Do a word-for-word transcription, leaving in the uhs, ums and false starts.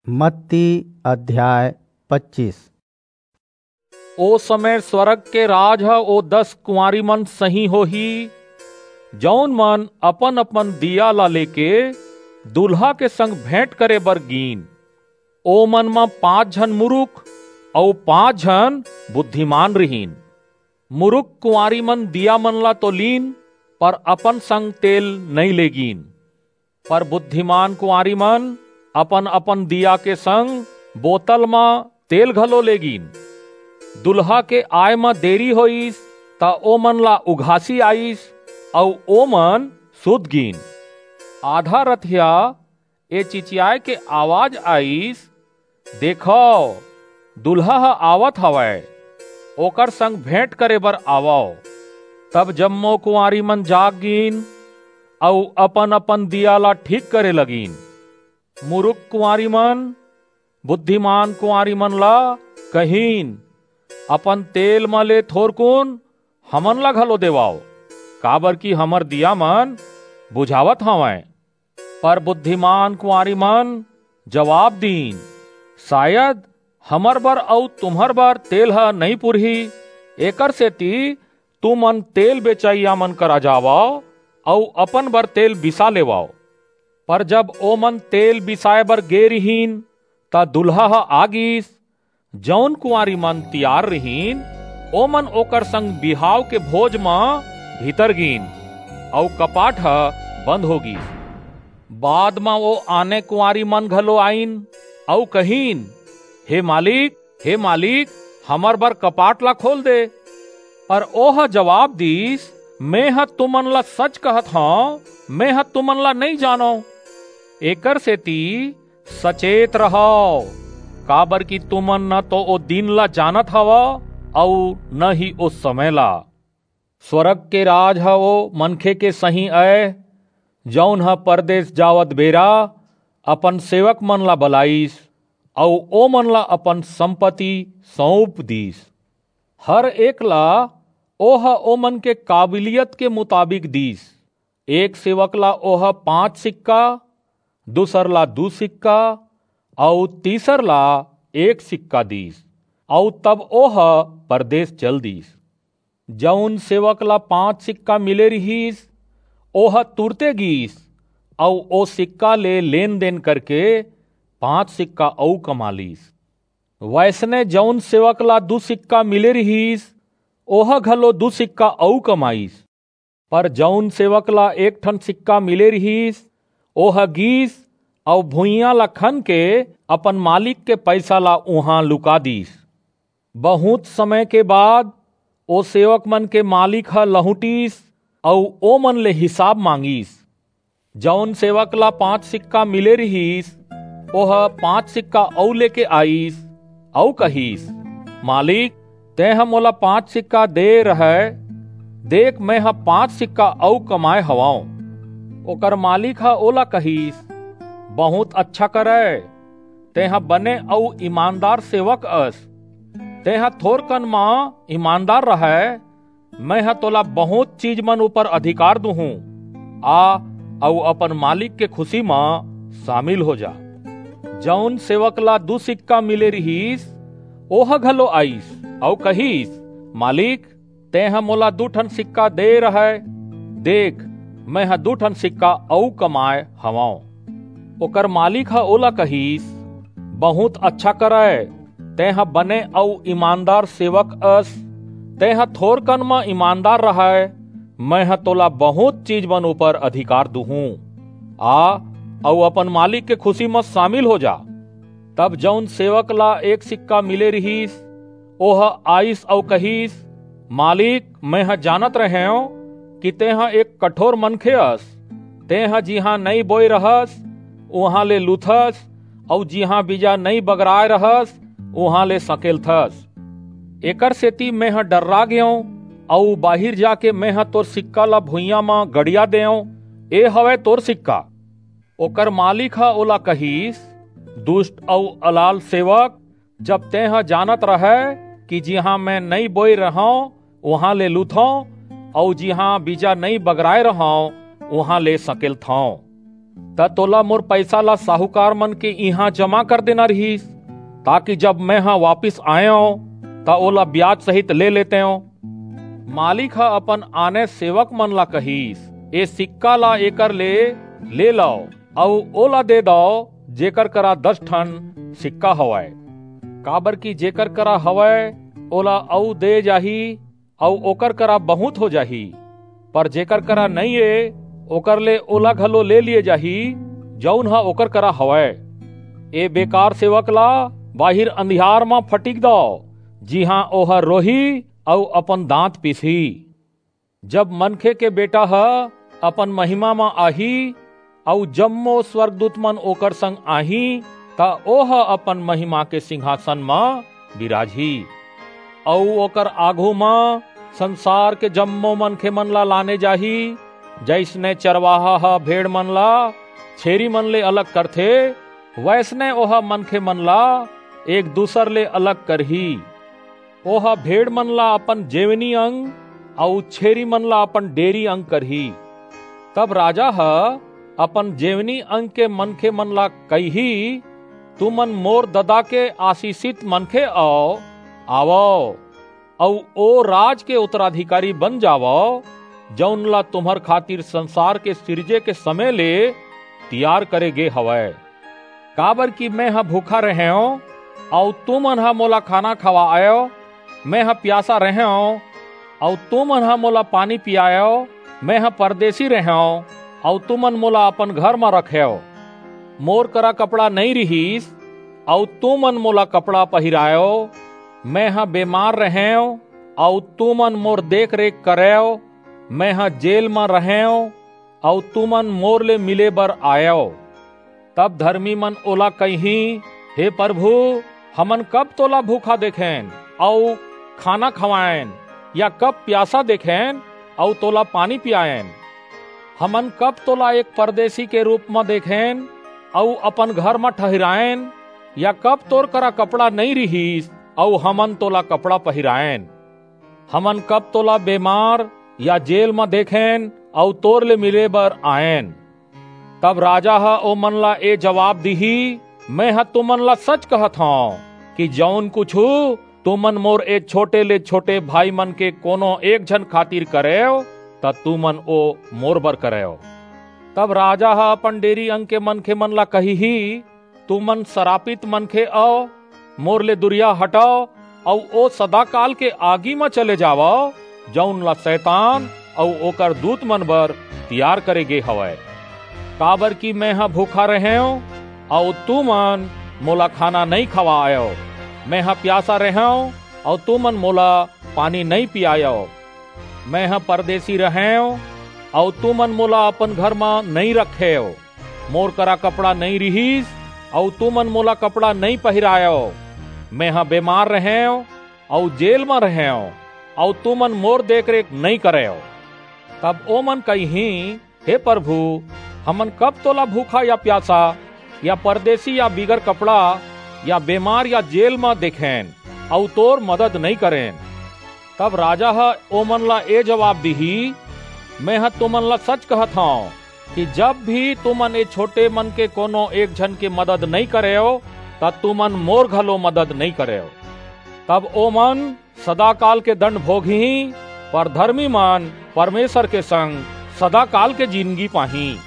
मत्ती अध्याय पच्चीस। ओ समय स्वर्ग के राज ह ओ दस कुंवारी मन सही होही, जऊन मन अपन-अपन दीया ला लेके दूल्हा के संग भेंट करे बर गीन। ओ मन म पांच झन मुरुख अऊ पांच झन बुद्धिमान रिहिन। मुरुख कुंवारी मन दीया मन ला तो लीन, पर अपन संग तेल नइं ले गीन। पर बुद्धिमान कुंवारी मन अपन-अपन दीया के संग बोतल म तेल घलो ले गीन। दूल्हा के आय म देरी होईस, त ओमन ला उघासी आईस, अऊ ओमन सुत गीन। आधा रतिहा ए चिचियाय के आवाज आईस, "देखव, दूल्हा ह आवत हवय, ओकर संग भेंट करे बर आवव।" तब जम्मो कुंवारी मन जाग गीन अऊ अपन-अपन दीया ला ठीक करे लगिन। मुरुख कुंवारी मन बुद्धिमान कुंवारी मन ला कहिन, "अपन तेल म ले थोरकुन हमन ला घलो देवव, काबर कि हमर दीया मन बुझावत हवंय।" पर बुद्धिमान कुंवारी मन जवाब दीन, "सायद हमर बर अऊ तुम्हर बर तेल ह नइं पुरही, एकर सेती तुमन तेल बेचइया मन करा जावव अऊ अपन बर तेल बिसा लेवव।" पर जब ओमन तेल बिसाय बर गे रिहिन, त दूल्हा ह आ गीस। जऊन कुंवारी मन तियार रिहिन, ओमन ओकर संग बिहाव के भोज म भीतर गीन, अऊ कपाट ह बंद हो गीस। बाद म ओ आने कुंवारी मन घलो आईन, अऊ कहिन, "हे मालिक, हे मालिक, हमर बर कपाट ला खोल दे।" पर ओह जवाब दीस, "मेंह तुमन ला सच कहत हंव, मेंह तुमन ला नइं जानंव। एकर सेती सचेत रहव, काबर कि तुमन न तो ओ दिन ला जानत हवव, अऊ न ही ओ समय ला।" स्वर्ग के राज ह ओ मनखे के सहीं अय, जऊन ह परदेस जावत बेरा अपन सेवक मन ला बलाईस, अऊ ओमन ला अपन संपत्ति सऊंप दीस। हर एक ला ओह ओमन के काबिलियत के मुताबिक दीस। एक सेवक ला ओह पांच सिक्का, दूसर ला दू सिक्का, अऊ तीसर ला एक सिक्का दीस, अऊ तब ओह परदेस चल दीस। जऊन सेवक ला पांच सिक्का मिले रिहिस, ओह तुरते गीस, अऊ ओ सिक्का ले लेन-देन करके पांच सिक्का अऊ कमा लीस। वइसने जऊन सेवक ला दू सिक्का मिले रिहिस, ओह घलो दू सिक्का अऊ कमाईस। पर जऊन सेवक ला एक ठन सिक्का मिले रिहिस, ओह गीस अऊ भुइयां ला खन के अपन मालिक के पईसा ला उहां लुका दीस। बहुंत समय के बाद ओ सेवक मन के मालिक ह लहुंटिस अऊ ओमन ले हिसाब मांगिस। जऊन सेवक ला पांच सिक्का मिले रिहिस, ओह पांच सिक्का अऊ लेके आईस, अऊ कहिस, "मालिक, तेंह मोला पांच सिक्का दे रहय, देख, मेंह पांच सिक्का अऊ कमाय हवंव।" ओकर मालिक ह ओला कहिस, "बहुंत अच्छा करय, तेंह बने अऊ ईमानदार सेवक अस। तेंह थोरकन म ईमानदार रहय, मेंह तोला बहुंत चीज मन ऊपर अधिकार दूहूं। आ अऊ अपन मालिक के खुसी म सामिल हो जा।" जऊन सेवक ला दू सिक्का मिले रिहिस, ओह घलो आईस अऊ कहिस, "मालिक, तेंह मोला दू ठन सिक्का दे रहय, देख, मेंह दू ठन सिक्का अऊ कमाय हवंव।" ओकर मालिक ह ओला कहिस, "बहुंत अच्छा करय, तेंह बने अऊ ईमानदार सेवक अस। तेंह थोरकन म ईमानदार रहय, मेंह तोला बहुंत चीज मन ऊपर अधिकार दूहूं। आ अऊ अपन मालिक के खुसी म सामिल हो जा।" तब जऊन सेवक ला एक सिक्का मिले रिहिस, ओह आईस अऊ कहिस, "मालिक, मेंह जानत रहेंव कि तेंह एक कठोर मनखे अस। तेंह जिहां नइं बोय रहस, उहां ले लूथस, अऊ जिहां बीजा नइं बगराय रहस, उहां ले सकेलथस। एकर सेती मेंह डर्रा गेंव, अऊ बाहिर जाके मेंह तोर सिक्का ला भुइयां म गड़िया देंव। ए हवय तोर सिक्का।" ओकर मालिक ह ओला कहिस, "दुस्ट अऊ अलाल सेवक, जब तेंह जानत रहय कि जिहां मैं नइं बोय रहंव, उहां ले लूथंव, अऊ जिहां बीजा नइं बगराय रहंव, उहां ले सकेलथंव। त तोला मोर पइसा ला साहूकार मन के इहां जमा कर देना रिहिस, ताकि जब मेंह वापिस आयंव, त ओला बियाज सहित ले लेतेंव।" मालिक ह अपन आने सेवक मन ला कहिस, "ए सिक्का ला एकर ले ले लव, अऊ ओला दे दव, जेकर करा दस ठन सिक्का हवय, काबरकि जेकर करा हवय, ओला अऊ दे जाही, अऊ ओकर करा बहुंत हो जाही, पर जेकर करा नइं ए, ओकर ले ओला घलो ले लिये जाही, जऊन ह ओकर करा हवय। ए बेकार सेवक ला बाहिर अंधियार म फटिक दव, जिहां ओह रोही अऊ अपन दांत पीसही। जब मनखे के बेटा ह अपन महिमा म आही, अऊ जम्मो स्वर्गदूत मन ओकर संग आही, त ओह अपन महिमा के सिंहासन म बिराजही। अऊ ओकर आघू म संसार के जम्मो मनखे मन ला लाने जाही, जइसने चरवाहा ह भेड़ मन ला छेरी मन ले अलग करथे, वइसने ओह मनखे मन ला एक दूसर ले अलग करही। ओह भेड़ मन ला अपन जेवनी अंग, अऊ छेरी मन ला अपन डेरी अंग करही। तब राजा ह अपन जेवनी अंग के मनखे मन ला कहिही, "तुमन मोर ददा के आसीसित मनखे अव, आवव, अऊ ओ राज के उत्तराधिकारी बन जावव, जऊन ला तुम्हर खातिर संसार के सिरजे के समय ले तियार करे गे हवय। काबरकि मेंह भूखा रहेंव, अऊ तुमन ह मोला खाना खवाएव, मेंह पियासा रहेंव, अऊ तुमन ह मोला पानी पियाएव, मेंह परदेसी रहेंव, अऊ तुमन मोला अपन घर म रखेव। मोर करा कपड़ा नइं रिहिस, अऊ तुमन मोला कपड़ा पहिराएव, मेंह बेमार रहेंव, अऊ तुमन मोर देख-रेख करेव, मेंह जेल म रहेंव, अऊ तुमन मोर ले मिले बर आएव।" तब धरमी मन ओला कहिहीं, "हे परभू, हमन कब तोला भूखा देखेन अऊ खाना खवाएन, या कब पियासा देखेन अऊ तोला पानी पियाएन? हमन कब तोला एक परदेसी के रूप म देखेन अऊ अपन घर म ठहिराएन, या कब तोर करा कपड़ा नइं रिहिस अऊ हमन तोला कपड़ा पहिराएन? हमन कब तोला बेमार या जेल म देखेन अऊ तोर ले मिले बर आएन?" तब राजा ह ओमन ला ए जवाब दिही, "मेंह तुमन ला सच कहत हंव कि जऊन कुछू तुमन मोर ए छोटे ले छोटे भाई मन के कोनो एक झन खातिर करेव, त तुमन ओ मोर बर करेव।" तब राजा ह अपन डेरी अंग के मनखे मन ला कहिही, "तुमन सरापित मनखे अव, मोर ले दुरिहा हटव, अऊ ओ सदाकाल के आगी म चले जावव, जऊन ला सैतान अऊ ओकर दूत मन बर तियार करे गे हवय। काबरकि मेंह भूखा रहेंव, अऊ तुमन मोला खाना नइं खवाएव, मेंह पियासा रहेंव, अऊ तुमन मोला पानी नइं पियाएव, मेंह परदेसी रहेंव, अऊ तुमन मोला अपन घर म नइं रखेव, मोर करा कपड़ा नइं रिहिस, अऊ तुमन मोला कपड़ा नइं पहिराएव, मेंह बेमार रहेंव, अऊ जेल म रहेंव, अऊ तुमन मोर देख-रेख नइं करेव।" तब ओमन कहिहीं, "हे परभू, हमन कब तोला भूखा या पियासा, या परदेसी या बिगर कपड़ा, या बेमार या जेल म देखेन, अऊ तोर मदद नइं करेन?" तब राजा ह ओमन ला ए जवाब दिही, "मेंह तुमन ला सच कहत हंव कि जब भी तुमन ए छोटे मन के कोनो एक झन के मदद नइं करेव, त तुमन मोर घलो मदद नइं करेव।" तब ओमन सदाकाल के दंड भोगहीं, पर धरमी मन परमेसर के संग सदाकाल के जिनगी पाहीं।